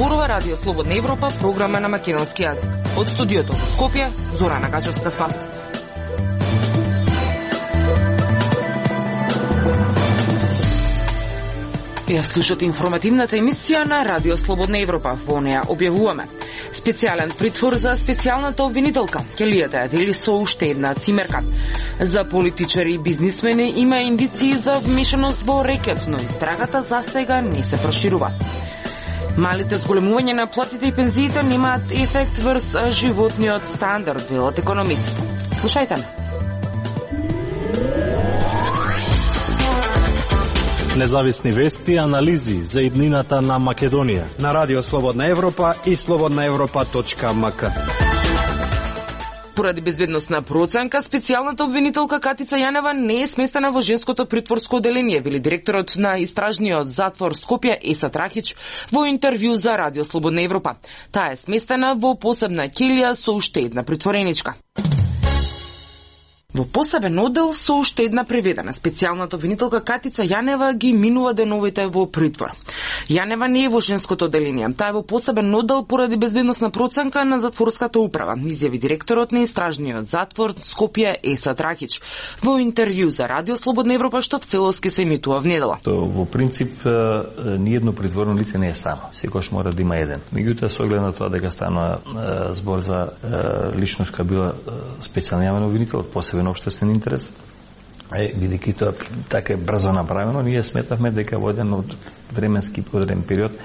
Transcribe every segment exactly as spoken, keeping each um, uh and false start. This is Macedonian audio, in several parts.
Зборува Радио Слободна Европа, програма на македонски јазик. Од студиото во Скопје, Зорана Гачевска-Спасовска. Ја слушате информативната емисија на Радио Слободна Европа. Во неја објавуваме специјален притвор за специјалната обвинителка. Келијата ја дели со уште една цимерка. За политичари и бизнисмени има индиции за вмешаност во рекет, но истрагата за сега не се проширува. Малите зголемување на платите и пензиите немаат ефект врз животниот стандард, велат економистите. Слушајте ме. Независни вести и анализи за иднината на Македонија на Радио Слободна Европа и слободна европа точка ем ка. Поради безбедносна проценка, специјалната обвинителка Катица Јанева не е сместена во женското притворско оделение, вели директорот на истражниот затвор Скопје Есат Рахич во интервју за Радио Слободна Европа. Таа е сместена во посебна ќелија со уште една притвореничка. Во посебен оддел со уште една преведена, специјалната обвинителка Катица Јанева ги минува деновите во притвор. Јанева не е во женското оделение, таа е во посебен оддел поради безбедносна проценка на затворската управа, изјави директорот на истражниот затвор Скопје Есат Рахич во интервју за Радио Слободна Европа, што в целост ке се емитува внедела. То во принцип ниедно притворено лице не е само, секогаш мора да има еден. Меѓутоа со оглед на тоа дека станува збор за личност која била специјална обвинител, посебен општествен интерес, е, бидејќи тоа така е брзо направено, ние сметавме дека во еден од временски одреден период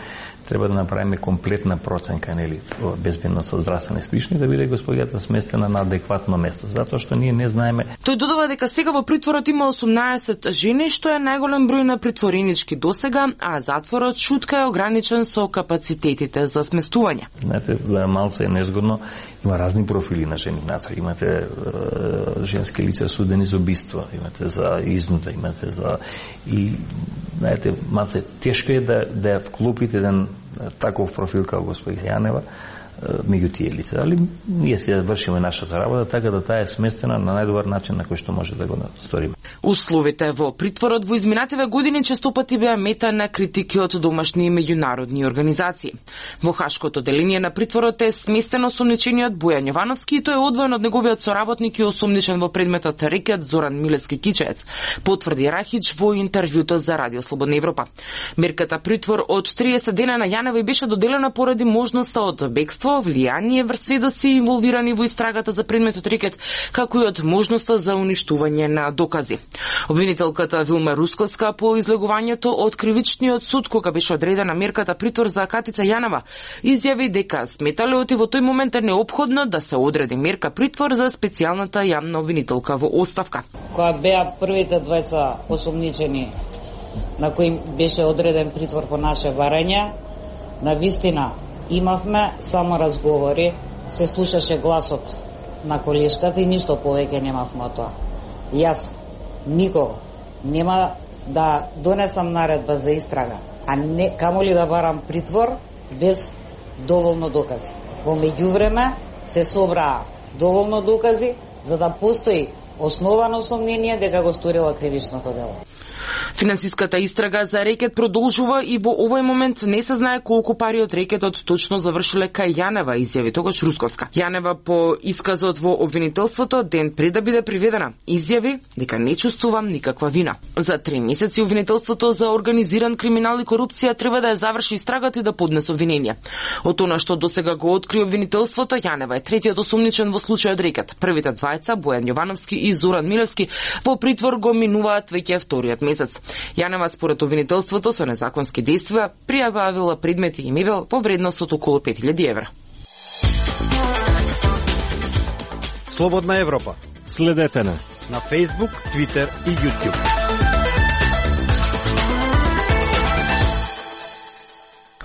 треба да направиме комплетна проценка, нели, безбедност со здравствени слични, да биде господијата сместена на адекватно место, затоа што ние не знаеме. Тој додава дека сега во притворот има осумнаесет жени, што е најголем број на притворенички досега, а затворот шутка е ограничен со капацитетите за сместување. Знаете, малце е незгодно, има разни профили на жени внатре. Имате е, женски лица судени за убиство, имате за изнуда, имате за и знаете, малце тешко е да да ја вклопите еден таков профил како господин Јанева меѓу тие лица. Али ние ќе вршиме нашата работа така да таа е сместена на најдобар начин на кој што може да го сториме. Условите во притворот во изминативе години често пати беа мета на критики од домашни и меѓународни организации. Во Хашкото деление на притворот е сместен осомничениот Бојан Јовановски и тој е одвоен од неговиот соработник и осомничен во предметот рекет Зоран Милевски Кичеец, потврди Рахич во интервјуто за Радио Слободна Европа. Мерката притвор од триесет дена на Јанева беше доделена поради можноста од бегство, влијание врз сведоци инволвирани во истрагата за предметот рекет, како и од можноста за уништување на докази. Обвинителката Вилма Русковска по излегувањето од кривичниот суд кога беше одредена мерката притвор за Катица Јанева изјави дека сметале оти во тој момент е неопходно да се одреди мерка притвор за специјалната јавна обвинителка во оставка. Кога беа првите двајца осумничени на кои беше одреден притвор по наше барање, на вистина имавме само разговори, се слушаше гласот на колешката и ништо повеќе немавме од тоа. Јас никого нема да донесам наредба за истрага, а не камоли да барам притвор без доволно докази. Во меѓувреме се собраа доволно докази за да постои основано сомнение дека го сторила кривичното дело. Финансиската истрага за рекет продолжува и во овој момент не се знае колку пари од рекетот точно завршиле кај Јанева, изјави тогаш Русковска. Јанева по исказот во обвинителството ден пред да биде приведена изјави дека не чувствувам никаква вина. За три месеци обвинителството за организиран криминал и корупција треба да ја заврши истрагата и да поднесе обвинение. Од она што досега го откри обвинителството, Јанева е третиот осумничен во случајот рекет. Првите двајца, Бојан Јовановски и Зоран Милевски, во притвор го минуваат веќе вториот месец. Јанева според обвинителството со незаконски действија пријавила предмети и мебел во вредност од околу пет илјади евра. Слободна Европа. Следете на на Facebook, Twitter и YouTube.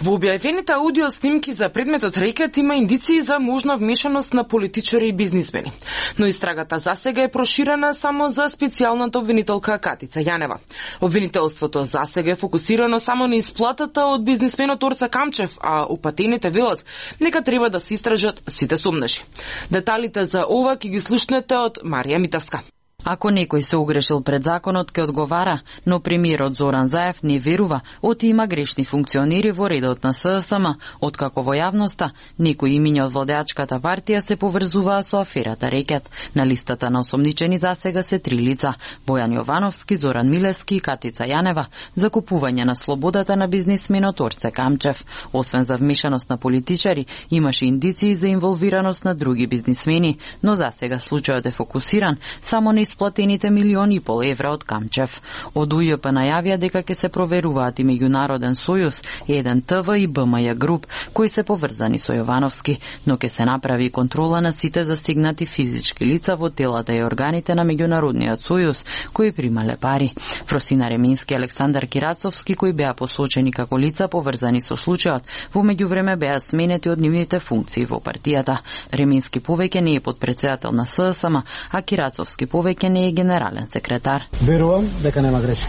Во објавените аудио снимки за предметот рекет има индиции за можна вмешаност на политичари и бизнисмени. Но истрагата засега е проширена само за специјалната обвинителка Катица Јанева. Обвинителството засега е фокусирано само на исплатата од бизнисменот Орца Камчев, а упатените велат нека треба да се истражат сите сомнеши. Деталите за ова ќе ги слушнете од Марија Митевска. Ако некој се огрешил пред законот, ке одговара, но премиерот Зоран Заев не верува, оти има грешни функционери во редот на ССМ, откако во јавноста некои имиња од владеачката партија се поврзуваа со аферата Рекет. На листата на осомничени засега се три лица: Бојан Јовановски, Зоран Милевски и Катица Јанева, за купување на слободата на бизнисменот Орце Камчев. Освен за вмешаност на политичари, имаше индиции за инволвираност на други бизнисмени, но засега случајот е фокусиран само на исплатените милиони и пол евра од Камчев. Од У Ј П најавија дека ќе се проверуваат и Меѓународен сојуз, еден Т В и Б М Ј груп, кои се поврзани со Јовановски, но ќе се направи контрола на сите застигнати физички лица во телата и органите на Меѓународниот сојуз, кои примале пари. Фросина Ремински и Александар Кирацовски, кои беа посочени како лица поврзани со случајот, во меѓувреме беа сменети од нивните функции во партијата. Ремински повеќе не е подпредседател на ССМ, а Кирацовски повеќе не е генерален секретар. Верувам дека нема грешки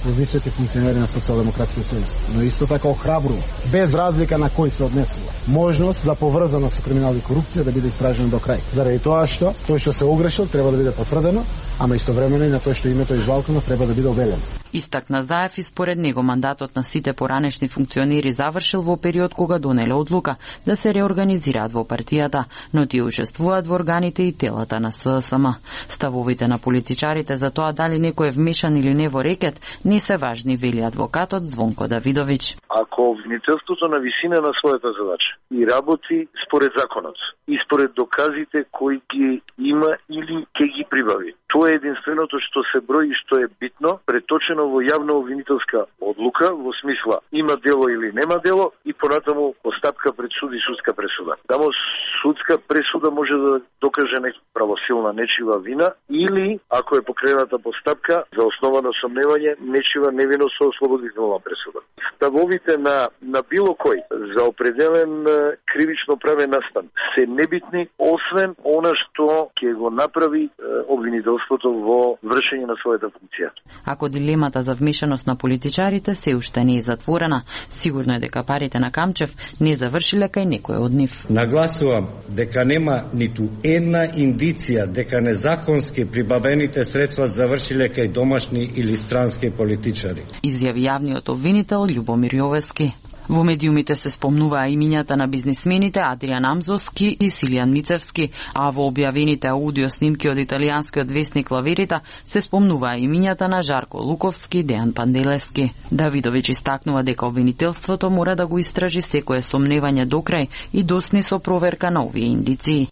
во високи функционери на Социјалдемократскиот сојуз, но исто така охрабрувам, без разлика на кој се однесува, можност за поврзаност со криминал и корупција да биде истражено до крај. Заради тоа што тој што се огрешил треба да биде потврдено, ама истовремено и на тој што името извалкано треба да биде обелено. Истакна Заев и според него мандатот на сите поранешни функционери завршил во период кога донеле одлука да се реорганизираат во партијата, но тие учествуваат во органите и телата на ССМ. Ставовите на политичарите за тоа дали некој е вмешан или не во Рекет не се важни, вели адвокатот Звонко Давидовиќ. Ако обвинителството на висина на својата задача и работи според законот и според доказите кои ги има или ќе ги прибави, тоа е единственото што се брои и што е битно, преточено во јавна обвинителска одлука, во смисла има дело или нема дело, и понатаму постапка пред суд и судска пресуда. Тамо судска пресуда може да докаже нека правосилна нечива вина, или ако е покрената постапка за основа на сомневање нечива невиност со ослободителна пресуда. Ставовите на на било кој за определен кривично правен настан се небитни, освен она што ќе го направи обвинителството во вршење на својата функција. Ако дилемата за вмешаност на политичарите се уште не е затворена, сигурно е дека парите на Камчев не завршиле кај некој од нив. Нагласувам дека нема ниту една индиција дека незаконски прибавените средства завршиле кај домашни или странски политичари. Изјави јавниот обвинител Љубомир Јовески. Во медиумите се спомнуваа имињата на бизнисмените Адриан Амзовски и Силијан Мицевски, а во објавените аудио снимки од италијанскиот весник La Verità се спомнуваа имињата на Жарко Луковски и Дејан Панделевски. Давидовиќ истакнува дека обвинителството мора да го истражи секое сомневање до крај и досни со проверка на овие индиции.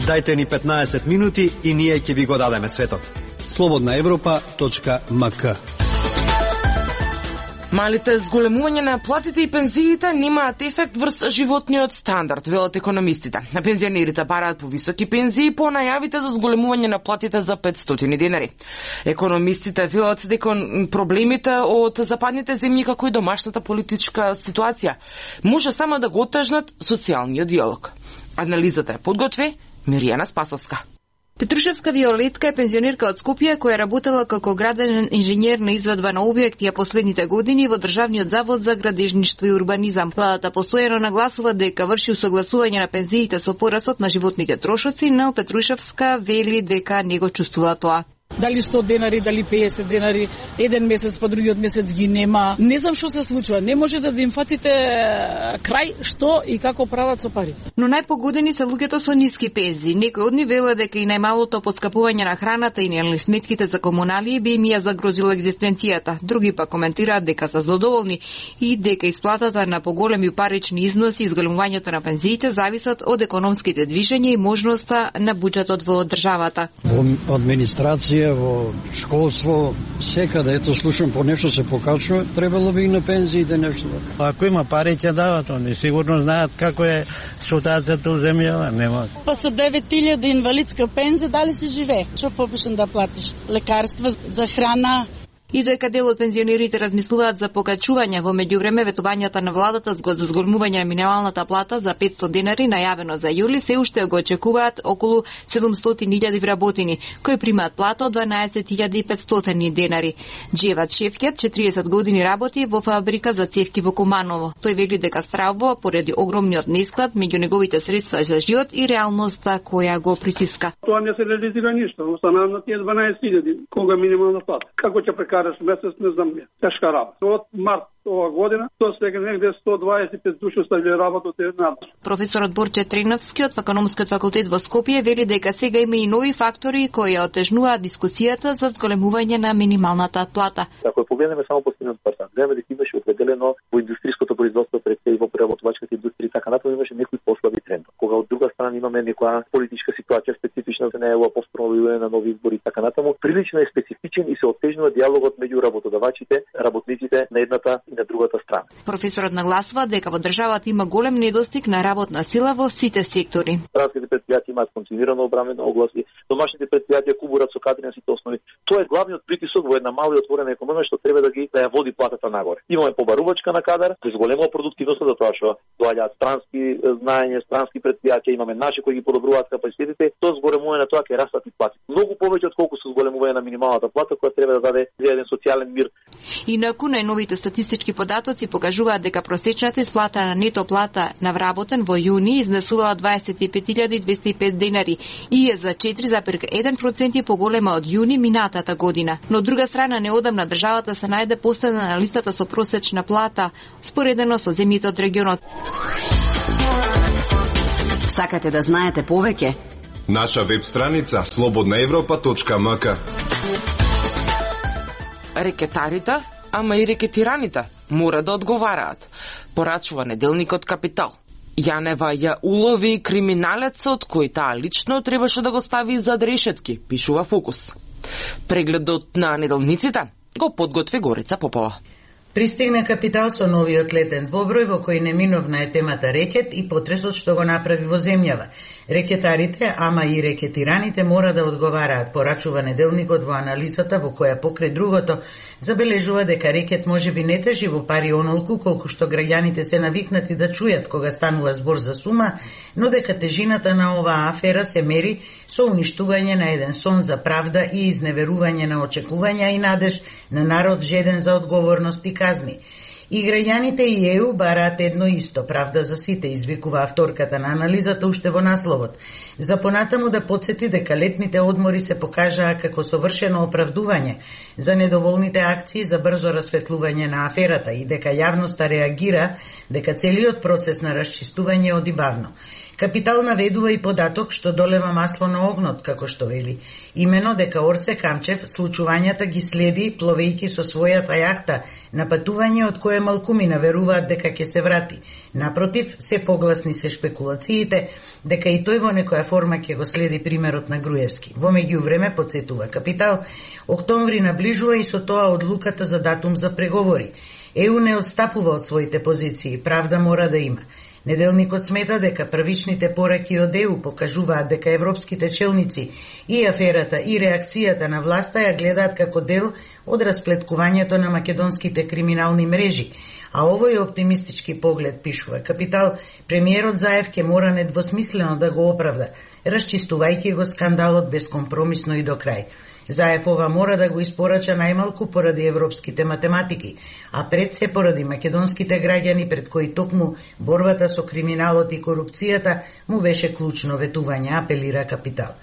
Дајте ни петнаесет минути и ние ќе ви го дадеме светот. слободна европа точка м к. Малите зголемување на платите и пензиите немаат ефект врз животниот стандард, велат економистите. На пензионерите бараат повисоки пензии по најавите за зголемување на платите за петстотини денари. Економистите велат дека проблемите од западните земји, како и домашната политичка ситуација, може само да го отежнат социјалниот диалог. Анализата е подготви Миријана Спасовска. Петрушевска Виолетка е пензионерка од Скопје која работела како граден инженер на извадба на објекти а последните години во Државниот завод за градежништво и урбанизам. Владата постојано нагласува дека врши усогласување на пензиите со порасот на животните трошоци, но Петрушевска вели дека не го чувствува тоа. Дали сто денари, дали песет денари, еден месец па другиот месец ги нема. Не знам што се случува. Не можете да им фатите крај што и како прават со парите. Но најпогодени се луѓето со ниски пензии. Некој од нив веле дека и најмалото поскапување на храната и нели сметките за комуналии би им ја загрозила екзистенцијата. Други па коментираат дека се задоволни и дека исплатата на поголеми парични износи и изголемувањето на пензиите зависат од економските движења и можноста на буџетот во државата. Во администрација, во школство, секаде, ето слушам по нешто се покачува, требало би и на пензиите нешто така. Ако има пари ќе дават, они сигурно знаат како е ситуацијата у земјава, нема. Па со девет илјади инвалидска пензија дали си живее? Што попишен да платиш? Лекарства за храна? И дека дел од пензионерите размислуваат за покачување, во меѓувреме ветувањата на владата за зголемување на минималната плата за петсто денари најавено за јули се уште го очекуваат околу седумстотини илјади вработени кои примаат плата од дванаесет илјади и петстотини денари. Джеват Шефкет четириесет години работи во фабрика за цевки во Куманово. Тој вели дека стравува поради огромниот несклад меѓу неговите средства за живот и реалноста која го притиска. Тоа не се реализира ништо, останаа на тие дванаесет илјади кога минимална плата. Како ќе прекараш месец, не знам ја. Тешка работа. Од март ова година, тоа сега негде сто дваесет и пет души оставиле работа од една. Професорот Борче Треновски од Економскиот факултет во Скопје вели дека сега има и нови фактори кои отежнуваат дискусијата за зголемување на минималната плата. Ако погледнеме само последниот квартал, гледаме дека имаше определено во индустријското производство пред и во преработувачката индустрија така натаму имаше некои послаби трендови. Кога од друга страна имаме некоја политичка ситуација специфична за неја повторно на нови избори така натаму, прилично е специфичен и се отежнува диалогот меѓу работодавачите, работниците на едната и на другата страна. Професорот нагласува дека во државата има голем недостиг на работна сила во сите сектори. Странските предпријатија имаат континуирано обрамено огласи, домашните предпријатија кубурат со кадри на сите основи. Тоа е главниот притисок во една мала и отворена економија што треба да ги да ја води платата нагоре. Имаме побарувачка на кадар, кој зголемува продуктивноста за тоа што доаѓаат странски знаења, странски предпријатија, имаме наши кои ги подобруваат капацитетите, тоа зголемува на тоа ќе растат и плати. Многу повеќе од колку се зголемување на минималната плата која треба да даде еден социјален мир. Инаку најновите статистички податоци покажуваат дека просечната исплата на нето плата на вработен во јуни изнесувала дваесет и пет илјади двесте и пет денари и е за четири зарез еден проценти поголема од јуни минатата година. Но од друга страна неодамна државата се најде последна на листата со просечна плата, споредено со земјите од регионот. Сакате да знаете повеќе? Наша веб страница слободна европа точка ем ка. Рекетарите, ама и рекетираните, мора да одговараат, порачува неделникот Капитал. Јанева ја улови криминалецот кој таа лично требаше да го стави зад решетки, пишува Фокус. Прегледот на неделниците го подготви Горица Попова. Пристигна Капитал со новиот летен двоброј во кој неминовна е темата рекет и потресот што го направи во земјава. Рекетарите, ама и рекетираните мора да одговараат, порачува неделникот во анализата во која покрај другото забележува дека рекет можеби не тежи во пари онолку колку што граѓаните се навикнати да чујат кога станува збор за сума, но дека тежината на оваа афера се мери со уништување на еден сон за правда и изневерување на очекувања и надеж на народ жеден за одговорност и казни. И граѓаните и Е У бараат едно исто, правда за сите, извикува авторката на анализата уште во насловот. За понатаму да подсети дека летните одмори се покажаа како совршено оправдување за недоволните акции за брзо расветлување на аферата и дека јавноста реагира дека целиот процес на расчистување оди бавно. Капитал наведува и податок што долева масло на огнот, како што вели. Имено дека Орце Камчев случувањата ги следи пловејќи со својата јахта на патување од кое малкумина веруваат дека ќе се врати. Напротив, се погласни се шпекулациите дека и тој во некоја форма ќе го следи примерот на Груевски. Во меѓувреме, подсетува Капитал, октомври наближува и со тоа одлуката за датум за преговори. Е У не отстапува од своите позиции, правда мора да има. Неделникот смета дека првичните пораки од Е У покажуваат дека европските челници и аферата и реакцијата на власта ја гледаат како дел од расплеткувањето на македонските криминални мрежи, а овој оптимистички поглед, пишува Капитал, премиерот Заев ќе мора недвосмислено да го оправда, расчистувајќи го скандалот безкомпромисно и до крај. Заев ова мора да го испорача најмалку поради европските математики, а пред се поради македонските граѓани пред кои токму борбата со криминалот и корупцијата му беше клучно ветување, апелира Капитал.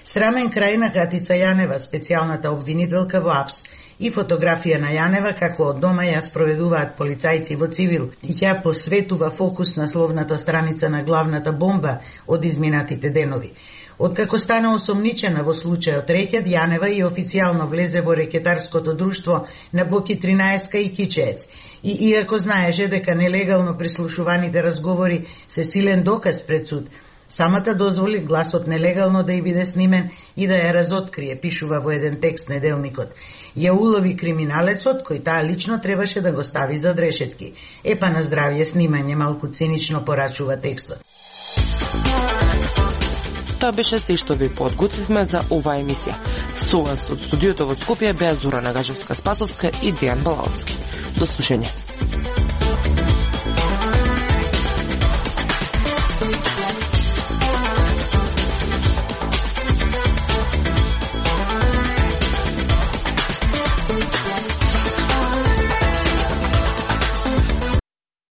Срамен крај на Катица Јанева, специјалната обвинителка во АПС, и фотографија на Јанева како од дома ја спроведуваат полицајци во цивил и ја посветува фокус на словната страница на главната бомба од изминатите денови. Откако стана осомничена во случајот рекет, Јанева и официјално влезе во рекетарското друштво на Боки тринаесет и Кичеец. И иако знаеше дека нелегално прислушуваните разговори се силен доказ пред суд, самата дозволи гласот нелегално да ја биде снимен и да ја разоткрие, пишува во еден текст неделникот. Ја улови криминалецот, кој таа лично требаше да го стави зад решетки. Епа на здравје снимање, малку цинично порачува текстот. Тоа беше се што ви подготвивме за оваа емисија. Со вас од студиото во Скопје беа Зора Нагажевска-Спасовска и Дејан Балаовски. До слушање.